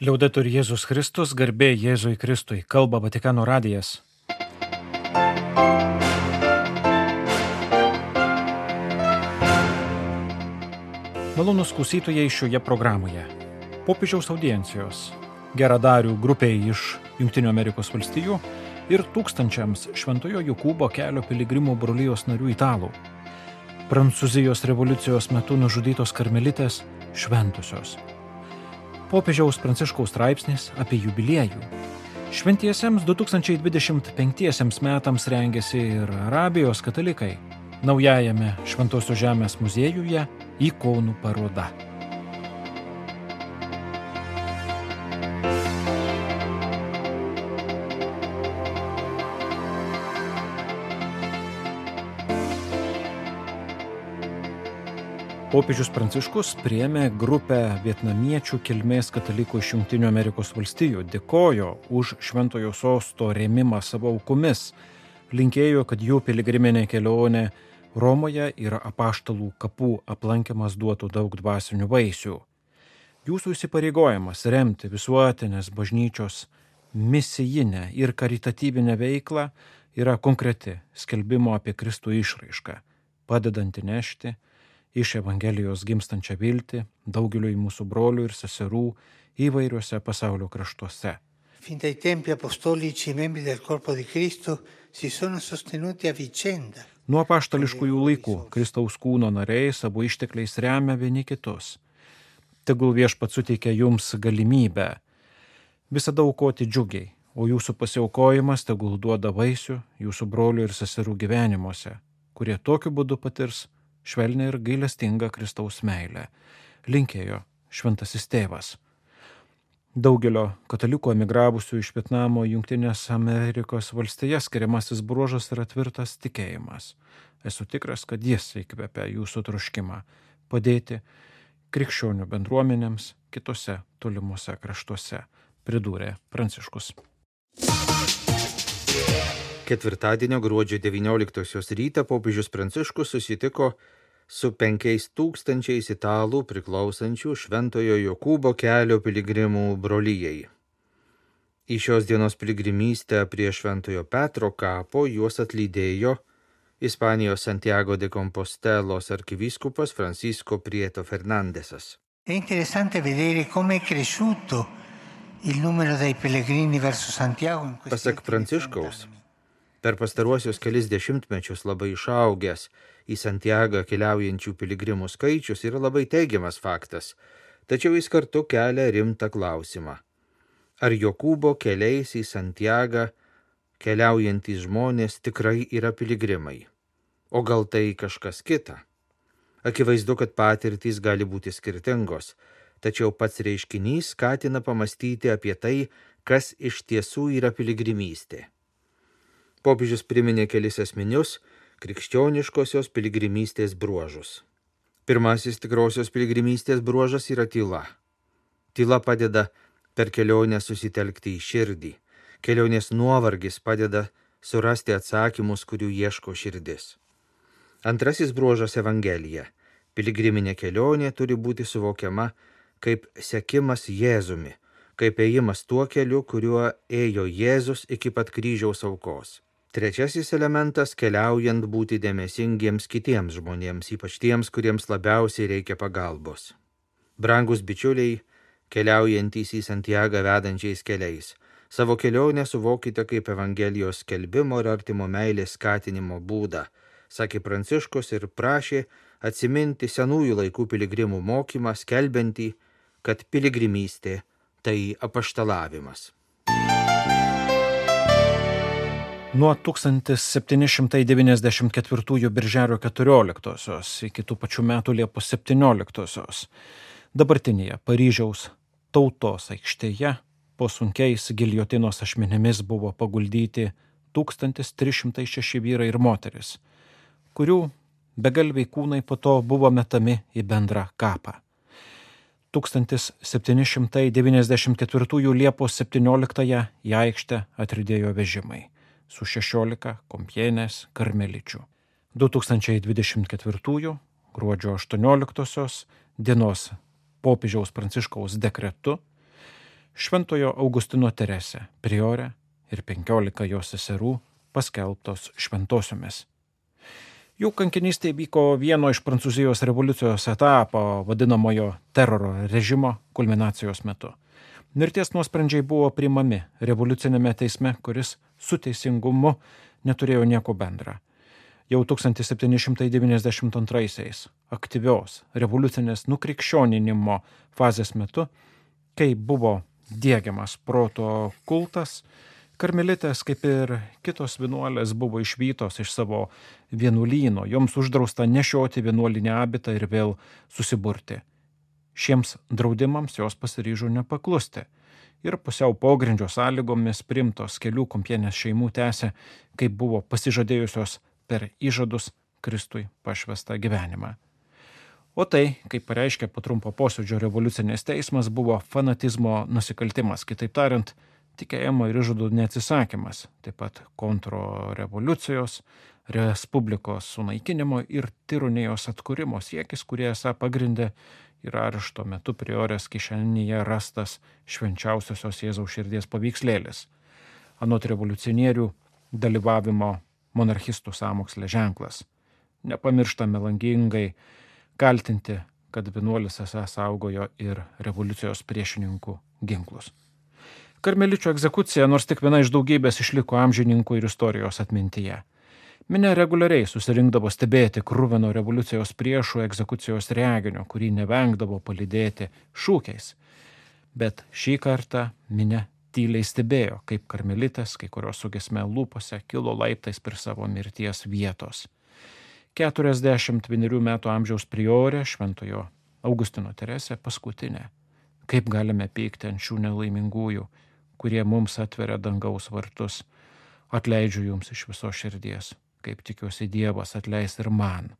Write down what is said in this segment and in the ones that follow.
Liaudetur Jėzus Kristus, garbė Jėzui Kristui, kalba Vatikano radijas. Malonūs klausytojai šioje programoje. Popiežiaus audiencijos, geradarių grupiai iš Jungtinių Amerikos valstijų ir tūkstančiams Šventojo Jokūbo kelio piligrimų brolijos narių italų. Prancūzijos revoliucijos metu nužudytos karmelitės šventosios. Popiežiaus Pranciškaus straipsnis apie jubiliejų. Šventiesiems 2025 metams rengiasi ir Arabijos katalikai. Naujajame Šventosios žemės muziejuje ikonų paroda. Popiežius Pranciškus priėmė grupę vietnamiečių kilmės katalikų iš Jungtinių Amerikos valstijų, dėkojo už Šventojo sosto rėmimą savo aukomis, linkėjo, kad jų piligriminė kelionė Romoje ir apaštalų kapų aplankymas duotų daug dvasinių vaisių. Jūsų įsipareigojimas remti visuotinės bažnyčios misijinę ir karitatyvinę veiklą yra konkreti skelbimo apie Kristų išraiška, padedanti nešti iš Evangelijos gimstančią viltį daugeliui mūsų brolių ir seserų įvairiuose pasaulio kraštuose. Fin dai tempi apostolici i membri del corpo di Cristo si sono sostenuti a vicenda. Nuo apaštališkųjų laikų Kristaus kūno nariai savo ištekliais remia vieni kitus. Tegul Viešpats suteikia jums galimybę visada aukoti džiugiai, o jūsų pasiaukojimas tegul duoda vaisių jūsų brolių ir seserų gyvenimuose, kurie tokiu būdu patirs švelnią ir gailestingą Kristaus meilę, linkėjo šventasis tėvas. Daugelio katalikų emigravusių iš Vietnamo Jungtinės Amerikos valstijas skiriamasis bruožas yra tvirtas tikėjimas. Esu tikras, kad jis įkvepia jūsų troškimą padėti krikščionių bendruomenėms kitose tolimuose kraštuose, pridūrė Pranciškus. Ketvirtadienio gruodžio 19 rytą popiežius Pranciškus susitiko su 5000 italų priklausančių Šventojo Jokūbo kelio piligrimų brolijai. Į šios dienos piligrimystę prie Šventojo Petro kapo juos atlydėjo Ispanijos Santiago de Compostelos arkivyskupas Francisco Prieto Fernandesas. È interessante vedere come è cresciuto il numero dei pellegrini verso Santiago in questi Pasak Pranciškaus, per pastaruosius kelis dešimtmečius labai išaugęs į Santiagą keliaujančių piligrimų skaičius yra labai teigiamas faktas, tačiau jis kartu kelia rimtą klausimą. Ar Jokūbo keliais į Santiagą keliaujantys žmonės tikrai yra piligrimai? O gal tai kažkas kita? Akivaizdu, kad patirtys gali būti skirtingos, tačiau pats reiškinys skatina pamastyti apie tai, kas iš tiesų yra piligrimystė. Popiežius priminė kelis esminius krikščioniškosios piligrimystės bruožus. Pirmasis tikrosios piligrimystės bruožas yra tyla. Tyla padeda per kelionę susitelkti į širdį. Kelionės nuovargis padeda surasti atsakymus, kurių ieško širdis. Antrasis bruožas Evangelija. Piligriminė kelionė turi būti suvokiama kaip sekimas Jėzumi, kaip ėjimas tuo keliu, kuriuo ėjo Jėzus iki pat kryžiaus aukos. Trečiasis elementas – keliaujant būti dėmesingiems kitiems žmonėms, ypač tiems, kuriems labiausiai reikia pagalbos. Brangus bičiuliai, keliaujantys į Santiagą vedančiais keliais, savo kelionę suvokite kaip Evangelijos skelbimo ir artimo meilės skatinimo būdą, sakė Pranciškus ir prašė atsiminti senųjų laikų piligrimų mokymą, skelbiantį, kad piligrimystė tai apaštalavimas. Nuo 1794 birželio 14 iki tų pačių metų Liepos 17 dabartinėje Paryžiaus Tautos aikštėje po sunkiais giljotinos ašmenimis buvo paguldyti 1306 vyrai ir moteris, kurių begalviai kūnai po to buvo metami į bendrą kapą. 1794 Liepos 17 į aikštę atridėjo vežimai su 16 Kompienės karmeličių. 2024 gruodžio 18 dienos popiežiaus Pranciškaus dekretu Šventojo Augustino Teresė, priorė ir 15 jos seserų paskelbtos šventosiomis. Jų kankinystė vyko vieno iš Prancūzijos revoliucijos etapo, vadinamojo teroro režimo kulminacijos metu. Mirties nuosprendžiai buvo priimami revoliucinėme teisme, kuris su teisingumu neturėjo nieko bendra. Jau 1792 aktyvios revoliucinės nukrikščioninimo fazės metu, kai buvo diegiamas proto kultas, karmelitės, kaip ir kitos vienuolės, buvo išvytos iš savo vienuolyno, joms uždrausta nešioti vienuolinį abitą ir vėl susiburti. Šiems draudimams jos pasiryžo nepaklusti ir pusiau pogrindžio sąlygomis priimtos kelių Kompienės šeimų tęsė, kaip buvo pasižadėjusios per įžadus Kristui pašvestą gyvenimą. O tai, kaip pareiškė po trumpo posėdžio revoliucinės teismas, buvo fanatizmo nusikaltimas, kitaip tariant, tikėjimo ir įžadų neatsisakymas, taip pat kontrrevoliucijos, respublikos sunaikinimo ir tironijos atkūrimo siekis, kurie esą pagrindė ir arešto metu priorės kišenėje rastas švenčiausiosios Jėzaus širdies paveikslėlis. Anot revoliucionierių dalyvavimo monarchistų sąmokslė ženklas. Nepamiršta melangingai kaltinti, kad vienuolis esą saugojo ir revoliucijos priešininkų ginklus. Karmeličių egzekucija, nors tik viena iš daugybės, išliko amžininkų ir istorijos atmintyje. Minia reguliariai susirinkdavo stebėti kruvino revoliucijos priešų egzekucijos reginio, kurį nevengdavo palydėti šūkiais. Bet šį kartą minia tyliai stebėjo, kaip karmelitės, kai kurios su giesme lūpose, kilo laiptais prie savo mirties vietos. 41 metų amžiaus priorė Šventojo Augustino Teresė paskutinė. Kaip galime pykti ant šių nelaimingųjų, kurie mums atveria dangaus vartus. Atleidžiu jums iš viso širdies, kaip tikiuosi Dievas atleis ir man.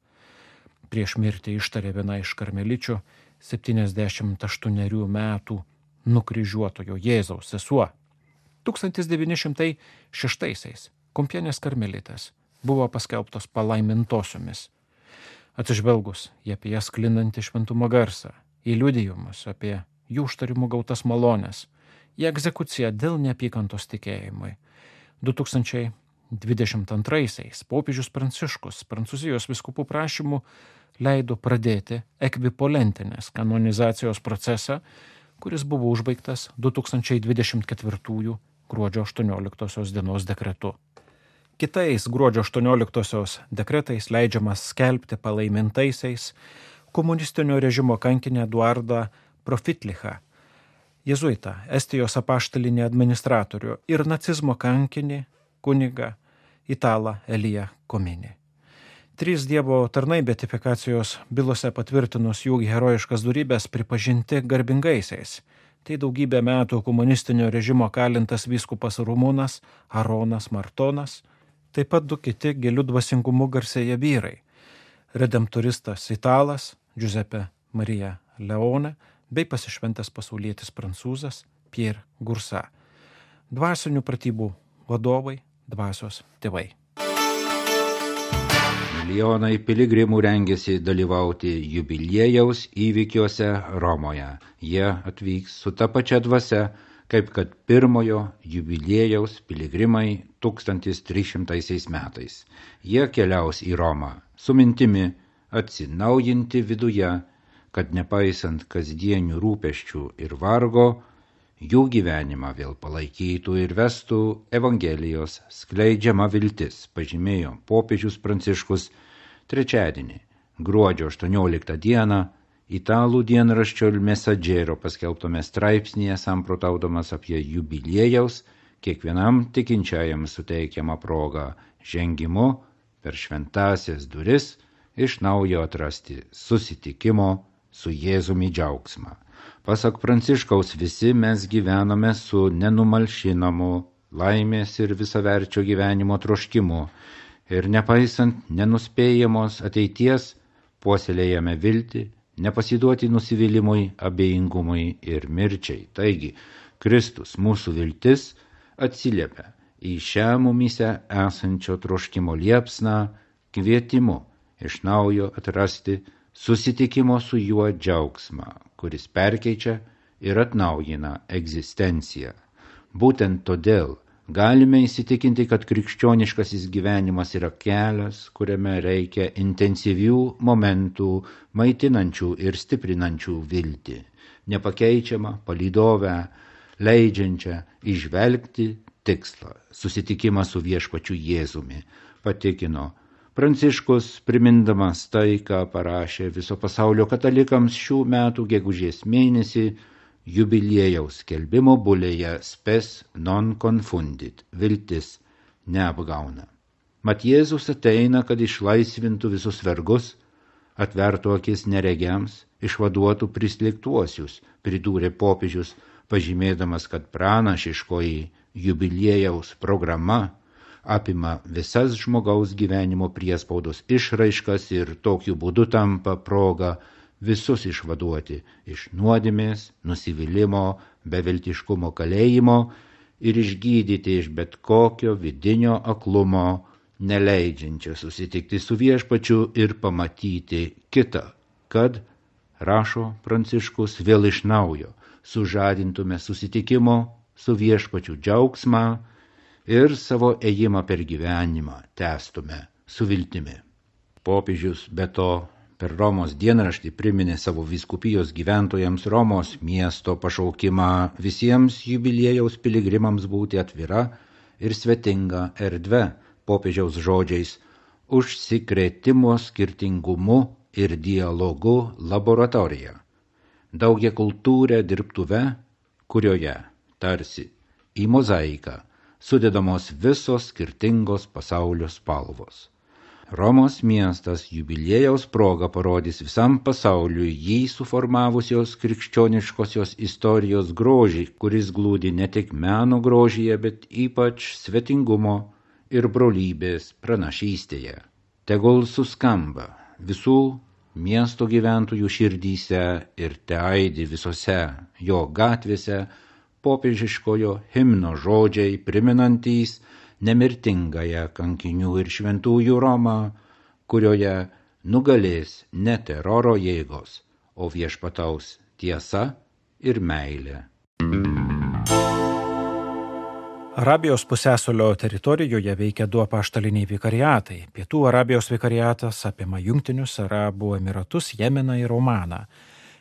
Prieš mirtį ištarė viena iš karmeličių 78 metų nukryžiuotojo Jėzaus sesuo. 1906 Kompienės karmelitės buvo paskelbtos palaimintosiomis. Atsižvelgus į apie jas sklindantį šventumo garsą, į liudijimus apie jų užtarimų gautas malones, į egzekuciją dėl neapykantos tikėjimui. 2022 popiežius Pranciškus Prancūzijos vyskupų prašymų leido pradėti ekvipolentinės kanonizacijos procesą, kuris buvo užbaigtas 2024 gruodžio 18 dienos dekretu. Kitais gruodžio 18 dekretais leidžiamas skelbti palaimintaisiais komunistinio režimo kankinį Eduardą Profitlichą, jėzuitą, Estijos apaštalinį administratorių ir nacizmo kankinį kunigą Italą Eliją Kominį. 3 Dievo tarnai beatifikacijos bylose patvirtinus jų herojiškas dorybes pripažinti garbingaisiais. Tai daugybę metų komunistinio režimo kalintas vyskupas Rumūnas Aronas Martonas, taip pat 2 kiti gilių dvasingumu garsėję vyrai – redemptoristas Italas Giuseppe Maria Leone bei pasišventęs pasaulietis prancūzas Pierre Gursa. Dvasinių pratybų vadovai, dvasios tėvai. Milijonai piligrimų rengėsi dalyvauti jubiliejaus įvykiuose Romoje. Jie atvyks su ta pačia dvasia, kaip kad pirmojo jubiliejaus piligrimai 1300 metais. Jie keliaus į Romą su mintimi atsinaujinti viduje, kad nepaisant kasdienių rūpesčių ir vargo, jų gyvenimą vėl palaikytų ir vestų Evangelijos skleidžiama viltis, pažymėjo popiežius Pranciškus trečiadienį, gruodžio 18 dieną, italų dienraščio Il Messaggero paskelbtame straipsnėje samprotaudamas apie jubiliejaus kiekvienam tikinčiajam suteikiamą progą žengimu per šventąsias duris iš naujo atrasti susitikimo su Jėzumi džiaugsmą. Pasak Pranciškaus, visi mes gyvename su nenumalšinamu laimės ir visaverčio gyvenimo troškimu ir nepaisant nenuspėjamos ateities puoselėjame viltį, nepasiduoti nusivylimui, abejingumui ir mirčiai. Taigi, Kristus, mūsų viltis, atsiliepia į šią mumyse esančio troškimo liepsną kvietimu iš naujo atrasti susitikimo su juo džiaugsmą, kuris perkeičia ir atnaujina egzistenciją. Būtent todėl galime įsitikinti, kad krikščioniškasis gyvenimas yra kelias, kuriame reikia intensyvių momentų, maitinančių ir stiprinančių viltį, nepakeičiamą, palydovę, leidžiančią įžvelgti tikslą, susitikimą su viešpačiu Jėzumi, patikino Pranciškus, primindamas tai, ką parašė viso pasaulio katalikams šių metų gegužės mėnesį jubiliejaus skelbimo bulėje Spes non confundit, viltis neapgauna. Mat Jėzus ateina, kad išlaisvintų visus vergus, atvertų akis neregiams, išvaduotų prislėgtuosius, pridūrė popiežius, pažymėdamas, kad pranašiškoji jubiliejaus programa apima visas žmogaus gyvenimo priespaudos išraiškas ir tokiu būdu tampa proga visus išvaduoti iš nuodėmės, nusivylimo, beviltiškumo kalėjimo ir išgydyti iš bet kokio vidinio aklumo, neleidžiančio susitikti su viešpačiu ir pamatyti kitą, kad, rašo Pranciškus, vėl iš naujo sužadintume susitikimo su viešpačiu džiaugsmą ir savo ėjimą per gyvenimą tęstume su viltimi. Popiežius be to per Romos dienraštį priminė savo vyskupijos gyventojams Romos miesto pašaukimą visiems jubiliejaus piligrimams būti atvira ir svetinga erdve, popiežiaus žodžiais, užsikrėtimo skirtingumu ir dialogu laboratorija, daugiakultūrę dirbtuvę, kurioje, tarsi į mozaiką, sudedamos visos skirtingos pasaulio spalvos. Romos miestas jubiliejaus proga parodys visam pasauliui jį suformavusios krikščioniškosios istorijos grožį, kuris glūdi ne tik meno grožyje, bet ypač svetingumo ir brolybės pranašystėje. Tegul suskamba visų miesto gyventojų širdyse ir teaidi visose jo gatvėse popiežiškojo himno žodžiai priminantys nemirtingąją kankinių ir šventųjų Romą, kurioje nugalės ne teroro jėgos, o viešpataus tiesa ir meilė. Arabijos pusiasalio teritorijoje veikia 2 apaštaliniai vikariatai. Pietų Arabijos vikariatas apima Jungtinius Arabų Emiratus, Jemeną ir Omaną.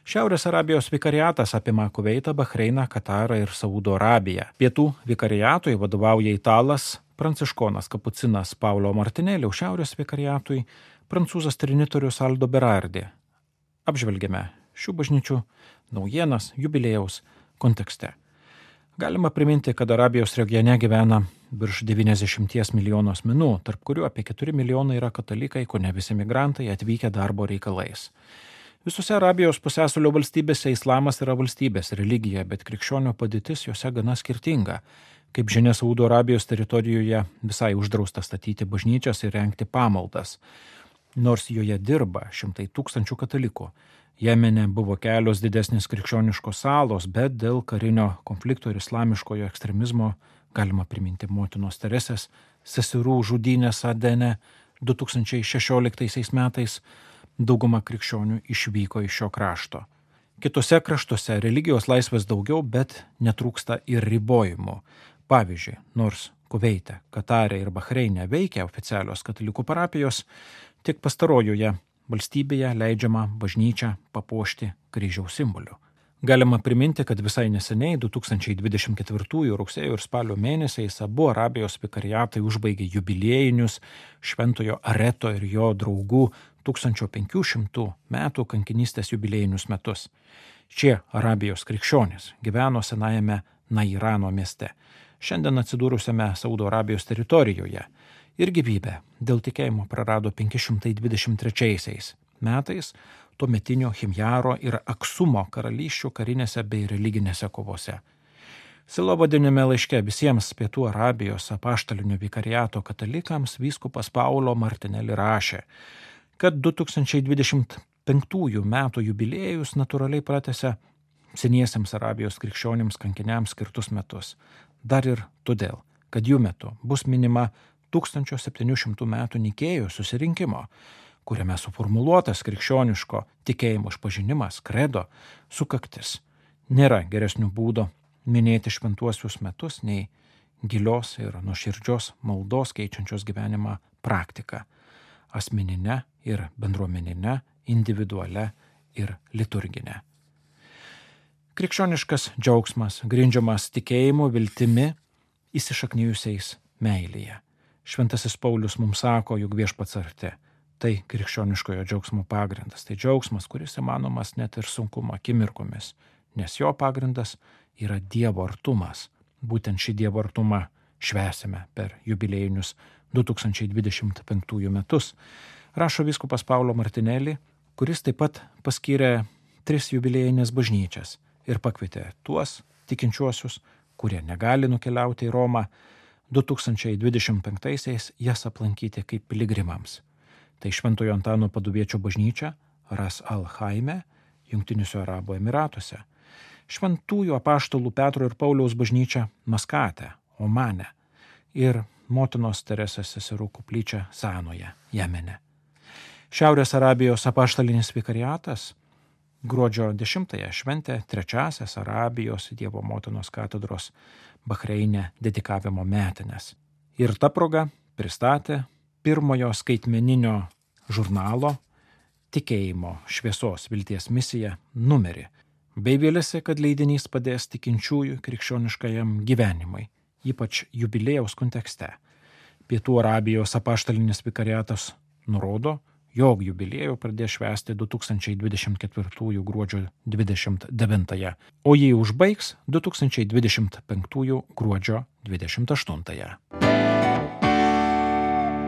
Šiaurės Arabijos vikariatas apima Kuveitą, Bahreiną, Katarą ir Saudo Arabiją. Pietų vikariatui vadovauja italas, pranciškonas kapucinas Paulo Martinelli, šiaurės vikariatui prancūzas trinitorius Aldo Berardi. Apžvelgėme šių bažnyčių naujienas jubiliejaus kontekste. Galima priminti, kad Arabijos regione gyvena virš 90 milijonų asmenų, tarp kurių apie 4 milijonai yra katalikai, kone visi migrantai atvykę darbo reikalais. Visose Arabijos pusiasalio valstybėse islamas yra valstybės religija, bet krikščionių padėtis jose gana skirtinga. Kaip žinia, Saudo Arabijos teritorijoje visai uždrausta statyti bažnyčias ir rengti pamaldas, nors joje dirba šimtai tūkstančių katalikų. Jemene buvo kelios didesnės krikščioniškos salos, bet dėl karinio konflikto ir islamiškojo ekstremizmo galima priminti motinos Teresės seserų žudynės Adene 2016 metais. Dauguma krikščionių išvyko iš šio krašto. Kitose kraštuose religijos laisvės daugiau, bet netrūksta ir ribojimų. Pavyzdžiui, nors Kuveite, Katare ir Bahreine veikia oficialios katalikų parapijos, tik pastarojoje valstybėje leidžiama bažnyčią papuošti kryžiaus simboliu. Galima priminti, kad visai neseniai 2024 rugsėjo ir spalio mėnesiais abu Arabijos vikariatai užbaigė jubiliejinius Šventojo Areto ir jo draugų 1500 metų kankinystės jubiliejinius metus. Šie Arabijos krikščionys gyveno senajame Nairano mieste, šiandien atsidūrusiame Saudo Arabijos teritorijoje, ir gyvybę dėl tikėjimo prarado 523 metais tuometinio Himjaro ir Aksumo karalysčių karinėse bei religinėse kovose. Silovadinime laiške visiems Pietų Arabijos apaštalinio vikariato katalikams vyskupas Paulo Martinelli rašė, kad 2025 metų jubiliejus natūraliai pratęsia seniesiems Arabijos krikščionims kankiniams skirtus metus. Dar ir todėl, kad jų metu bus minima 1700 metų Nikėjos susirinkimo, kuriame suformuluotas krikščioniško tikėjimo išpažinimas, kredo, sukaktis. Nėra geresnių būdų minėti šventuosius metus nei gilios ir nuoširdžios maldos keičiančios gyvenimą praktika – asmeninė ir bendruomeninė, individualia ir liturginė. Krikščioniškas džiaugsmas grindžiamas tikėjimu, viltimi, įsišaknijusiais meilėje. Šventasis Paulius mums sako, jog viešpats arti. Tai krikščioniškojo džiaugsmo pagrindas. Tai džiaugsmas, kuris įmanomas net ir sunkumo akimirkomis, nes jo pagrindas yra Dievo artumas. Būtent šį Dievo artumą švęsime per jubiliejinius 2025 metus. Rašo vyskupas Paulo Martinelli, kuris taip pat paskyrė 3 jubiliejinės bažnyčias ir pakvietė tuos tikinčiuosius, kurie negali nukeliauti į Romą, 2025-aisiais jas aplankyti kaip piligrimams. Tai Šventojo Antano Paduviečio bažnyčia Ras Al Chaime, Jungtiniuose Arabų Emiratuose, Šventųjų apaštalų Petro ir Pauliaus bažnyčia Maskate, Omane ir Motinos Teresės seserų koplyčia Sanoje, Jemene. Šiaurės Arabijos apaštalinis vikariatas gruodžio 10-ąją šventė 3-asias Arabijos Dievo Motinos katedros Bahreine dedikavimo metines. Ir ta proga pristatė pirmojo skaitmeninio žurnalo Tikėjimo šviesos vilties misija numerį, bei vėlėsi, kad leidinys padės tikinčiųjų krikščioniškajam gyvenimui, ypač jubiliejaus kontekste. Pietų Arabijos apaštalinis vikariatas nurodo, jog jubiliejų pradės švęsti 2024 gruodžio 29, o jį užbaigs 2025 gruodžio 28.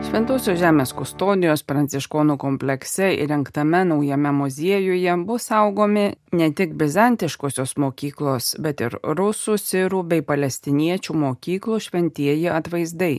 Šventosios žemės kustodijos pranciškonų komplekse įrengtame naujame muziejuje bus saugomi ne tik bizantiškosios mokyklos, bet ir rusų, sirų bei palestiniečių mokyklų šventieji atvaizdai.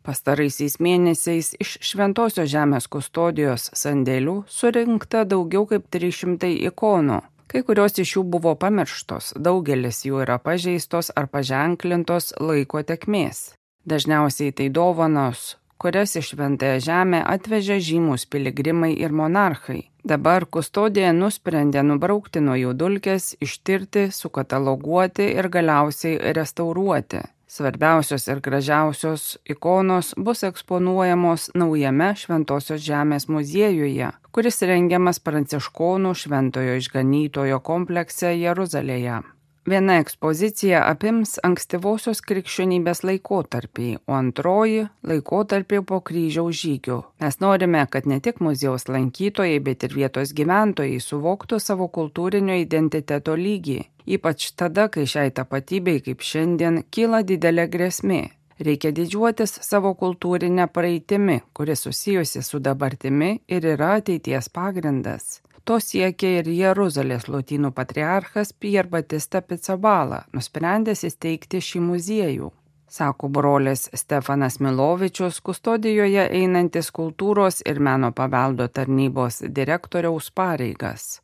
Pastaraisiais mėnesiais iš Šventosios žemės kustodijos sandėlių surinkta daugiau kaip 300 ikonų. Kai kurios iš jų buvo pamirštos, daugelis jų yra pažeistos ar paženklintos laiko tėkmės. Dažniausiai tai dovanos, kurias iš Šventąją žemę atvežė žymūs piligrimai ir monarchai. Dabar kustodija nusprendė nubraukti nuo jų dulkes, ištirti, sukataloguoti ir galiausiai restauruoti. Svarbiausios ir gražiausios ikonos bus eksponuojamos naujame Šventosios žemės muziejuje, kuris rengiamas pranciškonų Šventojo Išganytojo komplekse Jeruzalėje. Viena ekspozicija apims ankstyvosios krikščionybės laikotarpį, o antroji laikotarpį po kryžiaus žygių. Mes norime, kad ne tik muziejaus lankytojai, bet ir vietos gyventojai suvoktų savo kultūrinio identiteto lygį, ypač tada, kai šiai tapatybei kaip šiandien kyla didelė grėsmė. Reikia didžiuotis savo kultūrinę praeitimi, kuri susijusi su dabartimi ir yra ateities pagrindas. To siekia ir Jeruzalės lotynų patriarchas Pier Batista Pizzabala, nusprendęs įsteigti šį muziejų. Sako brolis Stefanas Milovičius, kustodijoje einantis kultūros ir meno paveldo tarnybos direktoriaus pareigas.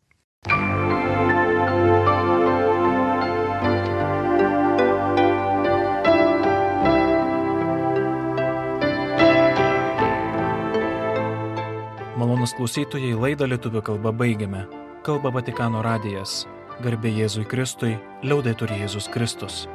Malonūs klausytojai, laidą lietuvių kalba baigiame. Kalba Vatikano radijas. Garbė Jėzui Kristui, liaudetur Jėzus Kristus.